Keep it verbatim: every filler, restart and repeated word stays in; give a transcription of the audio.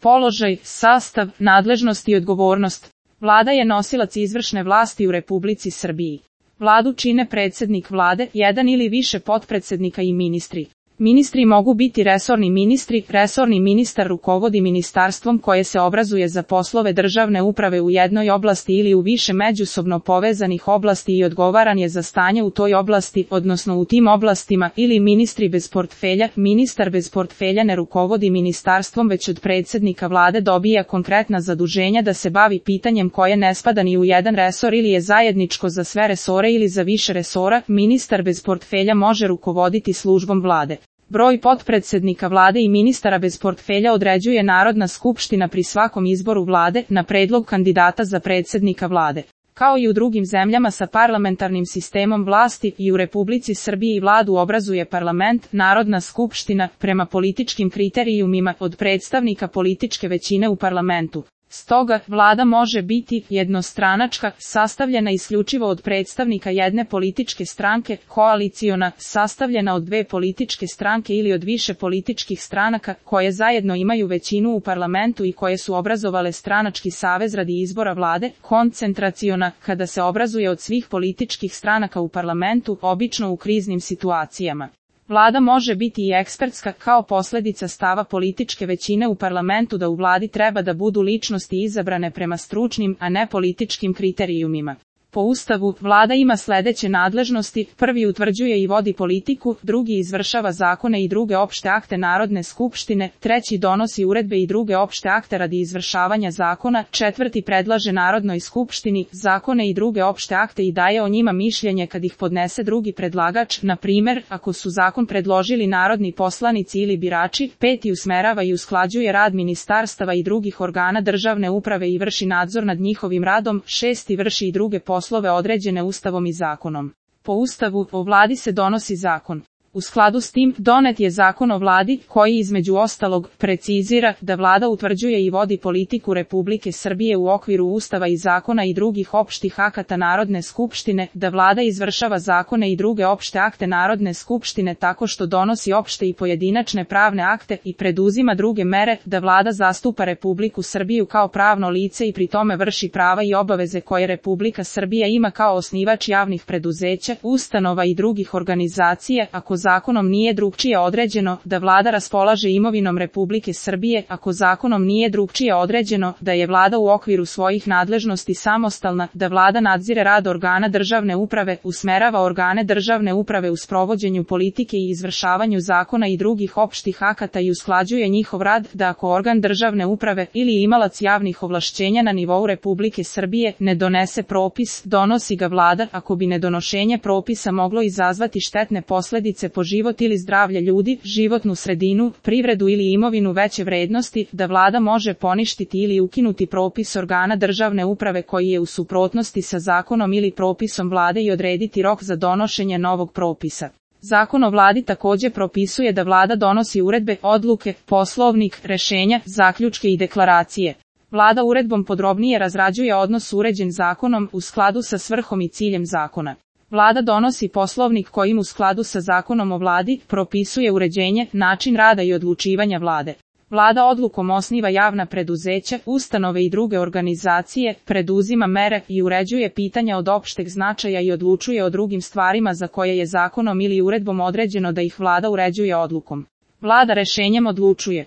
Položaj, sastav, nadležnost i odgovornost. Vlada je nosilac izvršne vlasti u Republici Srbiji. Vladu čine predsjednik vlade, jedan ili više potpredsjednika i ministri. Ministri mogu biti resorni ministri, resorni ministar rukovodi ministarstvom koje se obrazuje za poslove državne uprave u jednoj oblasti ili u više međusobno povezanih oblasti i odgovaran je za stanje u toj oblasti, odnosno u tim oblastima, ili ministri bez portfelja. Ministar bez portfelja ne rukovodi ministarstvom već od predsjednika vlade dobija konkretna zaduženja da se bavi pitanjem koje ne spada ni u jedan resor ili je zajedničko za sve resore ili za više resora. Ministar bez portfelja može rukovoditi službom vlade. Broj potpredsjednika vlade i ministara bez portfelja određuje Narodna skupština pri svakom izboru vlade na predlog kandidata za predsjednika vlade. Kao i u drugim zemljama sa parlamentarnim sistemom vlasti, i u Republici Srbiji vladu obrazuje parlament, Narodna skupština, prema političkim kriterijumima od predstavnika političke većine u parlamentu. Stoga, vlada može biti jednostranačka, sastavljena isključivo od predstavnika jedne političke stranke, koaliciona, sastavljena od dve političke stranke ili od više političkih stranaka, koje zajedno imaju većinu u parlamentu i koje su obrazovale stranački savez radi izbora vlade, koncentraciona, kada se obrazuje od svih političkih stranaka u parlamentu, obično u kriznim situacijama. Vlada može biti i ekspertska kao posljedica stava političke većine u parlamentu da u vladi treba da budu ličnosti izabrane prema stručnim, a ne političkim kriterijumima. Po Ustavu, vlada ima sljedeće nadležnosti: prvi utvrđuje i vodi politiku, drugi izvršava zakone i druge opšte akte Narodne skupštine, treći donosi uredbe i druge opšte akte radi izvršavanja zakona, četvrti predlaže Narodnoj skupštini zakone i druge opšte akte i daje o njima mišljenje kad ih podnese drugi predlagač, na primjer, ako su zakon predložili narodni poslanici ili birači, peti usmerava i usklađuje rad ministarstava i drugih organa državne uprave i vrši nadzor nad njihovim radom, šesti vrši i druge poslove poslove određene Ustavom i zakonom. Po Ustavu, o vladi se donosi zakon. U skladu s tim, donet je Zakon o vladi, koji između ostalog precizira da vlada utvrđuje i vodi politiku Republike Srbije u okviru Ustava i zakona i drugih opštih akata Narodne skupštine, da vlada izvršava zakone i druge opšte akte Narodne skupštine tako što donosi opšte i pojedinačne pravne akte i preduzima druge mere, da vlada zastupa Republiku Srbiju kao pravno lice i pri tome vrši prava i obaveze koje Republika Srbija ima kao osnivač javnih preduzeća, ustanova i drugih organizacija, ako zakonom nije drugčije određeno, da vlada raspolaže imovinom Republike Srbije, ako zakonom nije drugčije određeno, da je vlada u okviru svojih nadležnosti samostalna, da vlada nadzire rad organa državne uprave, usmerava organe državne uprave u sprovođenju politike i izvršavanju zakona i drugih opštih akata i usklađuje njihov rad, da ako organ državne uprave ili imalac javnih ovlašćenja na nivou Republike Srbije ne donese propis, donosi ga vlada, ako bi nedonošenje propisa moglo izazvati štetne posljedice po život ili zdravlje ljudi, životnu sredinu, privredu ili imovinu veće vrednosti, da vlada može poništiti ili ukinuti propis organa državne uprave koji je u suprotnosti sa zakonom ili propisom vlade i odrediti rok za donošenje novog propisa. Zakon o vladi također propisuje da vlada donosi uredbe, odluke, poslovnik, rešenja, zaključke i deklaracije. Vlada uredbom podrobnije razrađuje odnos uređen zakonom u skladu sa svrhom i ciljem zakona. Vlada donosi poslovnik kojim u skladu sa Zakonom o vladi propisuje uređenje, način rada i odlučivanja vlade. Vlada odlukom osniva javna preduzeća, ustanove i druge organizacije, preduzima mere i uređuje pitanja od opšteg značaja i odlučuje o drugim stvarima za koje je zakonom ili uredbom određeno da ih vlada uređuje odlukom. Vlada rešenjem odlučuje